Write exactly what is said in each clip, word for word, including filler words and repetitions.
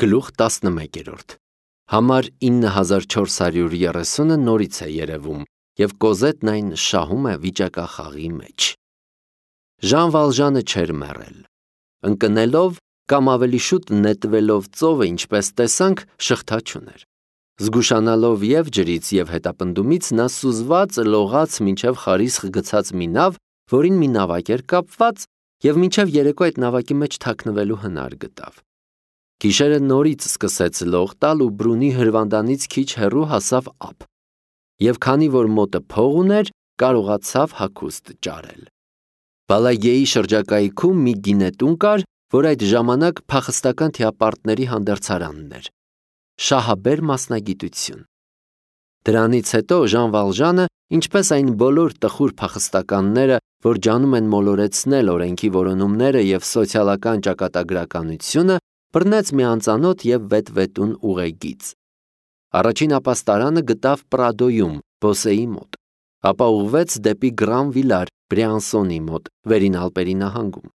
Գլուխ տասնմեկերորդ Համար ինը հազար չորս հարյուր երեսունը նորից է երևում, և Կոզետն այն շահում է վիճակախաղի մեջ։ Ժան Վալժանը չէր մեռել։ Ընկնելով կամ ավելի շուտ նետվելով ծովը, ինչպես տեսանք, շղթա չուներ։ Զգուշանալով և ջրից, և հետապնդումից, նա սուզված լողաց մինչև խարիսխ գցած մի նավ, որին մի նավակ էր կապված, և մինչև երեկո այդ նավակի մեջ թաքնվելու հնար գտավ։ Գիշերը նորից սկսեց լող տալ ու Բրունի հրվանդանից քիչ հեռու հասավ ափ, և քանի որ մոտը փող ուներ, կարողացավ հագուստ ճարել։ Բալագեի շրջակայքում մի գինետուն կար, որ այդ ժամանակ փախստական թիապարտների հանդերձարանն էր։ Շահաբեր մասնագիտություն։ Դրանից հետո Ժան Վալժանը, ինչպես այն բոլոր տխուր փախստականները, որ ջանում են մոլորեցնել օրենքի որոնումները և սոցիալական ճակատագրականությունը, բռնեց մի անծանոթ և վետվետուն ուղեգիծ։ Առաջին ապաստարանը գտավ Պրադոյում, Բոսեի մոտ, ապա ուղղվեց դեպի Գրանվիլար, Բրեանսոնի մոտ, Վերին Ալպերի նահանգում։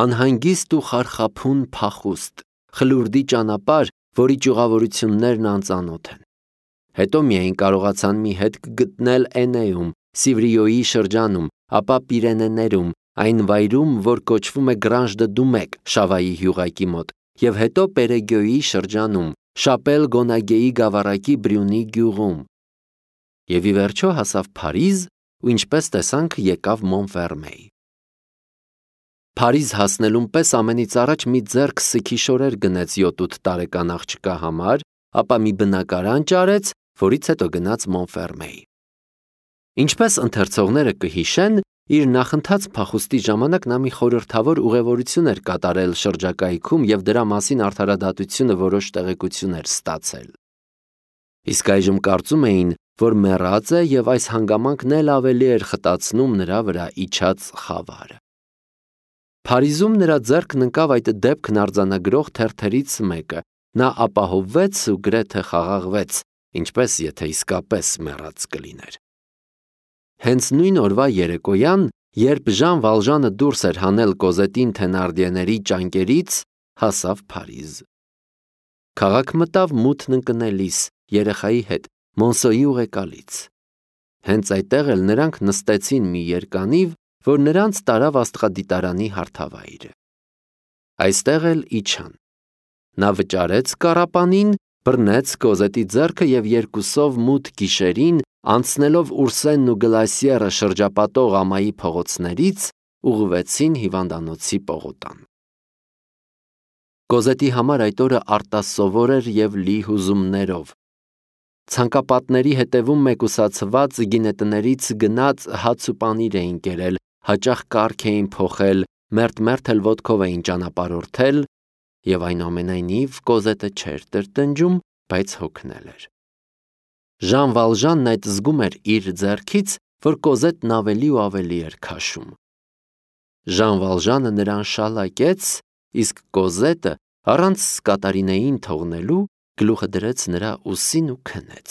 Անհանգիստ ու խարխափուն փախուստ, խլուրդի ճանապարհ, որի ճյուղավորություններն անծանոթ են։ Հետո միայն կարողացան մի հետք գտնել Էնեում, Սիվրիոյի շրջանում, ապա Պիրենեներում, այն վայրում, որ կոչվում է Գրանժ դը Դումեկ, Շավայի հյուղակի մոտ, և հետո Պերեգյոյի շրջանում, Շապել Գոնագեի գավառակի Բրյունի գյուղում։ Եվ ի վերջո հասավ Փարիզ ու, ինչպես տեսանք, եկավ Մոնֆերմեյ։ Փարիզ հասնելուն պես ամենից առաջ մի ձեռք սգիշորեր գնեց յոթ-ութ տարեկան աղջկա համար, ապա մի բնակարան ճարեց, որից հետո գնաց Մոնֆերմեյ։ Ինչպես ընթերցողները կհիշեն, իր նախընթաց փախուստի ժամանակ նա մի խորհրդավոր ուղևորություն էր կատարել շրջակայքում և դրա մասին արդարադատությունը որոշ տեղեկություն էր ստացել։ Իսկ այժմ կարծում էին, որ մեռած է և այս հանգամանքն էլ ավելի էր խտացնում նրա վրա իջած խավարը։ Փարիզում նրա ձեռքն ընկավ այդ դեպքն արձանագրող թերթերից մեկը, նա ապահովվեց ու գրեթե խաղաղվեց, ինչպես եթե իսկապես մեռած կլիներ։ Հենց նույն օրվա երեկոյան, երբ Ժան Վալժանը դուրս էր հանել Կոզետին Թենարդիեների ճանկերից, հասավ Փարիզ։ Քաղաք մտավ մութն ընկնելիս, երեխայի հետ, Մոնսոյի ուղեկալից։ Հենց այդտեղ էլ նրանք նստեցին մի երկանիվ, որ նրանց տարավ աստղադիտարանի հարթավայրը։ Այստեղ էլ իջան։ Նա վճարեց կառապանին, բռնեց Կոզետի ձեռքը և երկուսով մութ գիշերին, անցնելով Ուրսենն ու Գլասիերը շրջապատող ամայի փողոցներից, ուղղվեցին հիվանդանոցի պողոտան։ Կոզետի համար այդ օրը արտասովոր էր և լի հուզումներով։ Ցանկապատների հետևում մեկուսացված գինետներից գնած հաց ու պանիր էին կերել, հաճախ կառք էին փոխել, մերթ-մերթ էլ ոտքով էին ճանապարհորդել, և այնուամենայնիվ Կոզետը չէր տրտնջում, բայց հոգնել էր։ Ժան Վալժանն այդ զգում էր իր ձեռքից, որ Կոզետն ավելի ու ավելի էր քաշում։ Ժան Վալժանը նրան շալակեց, իսկ Կոզետը, առանց Սկատարինեին թողնելու, գլուխը դրեց նրա ուսին ու քնեց։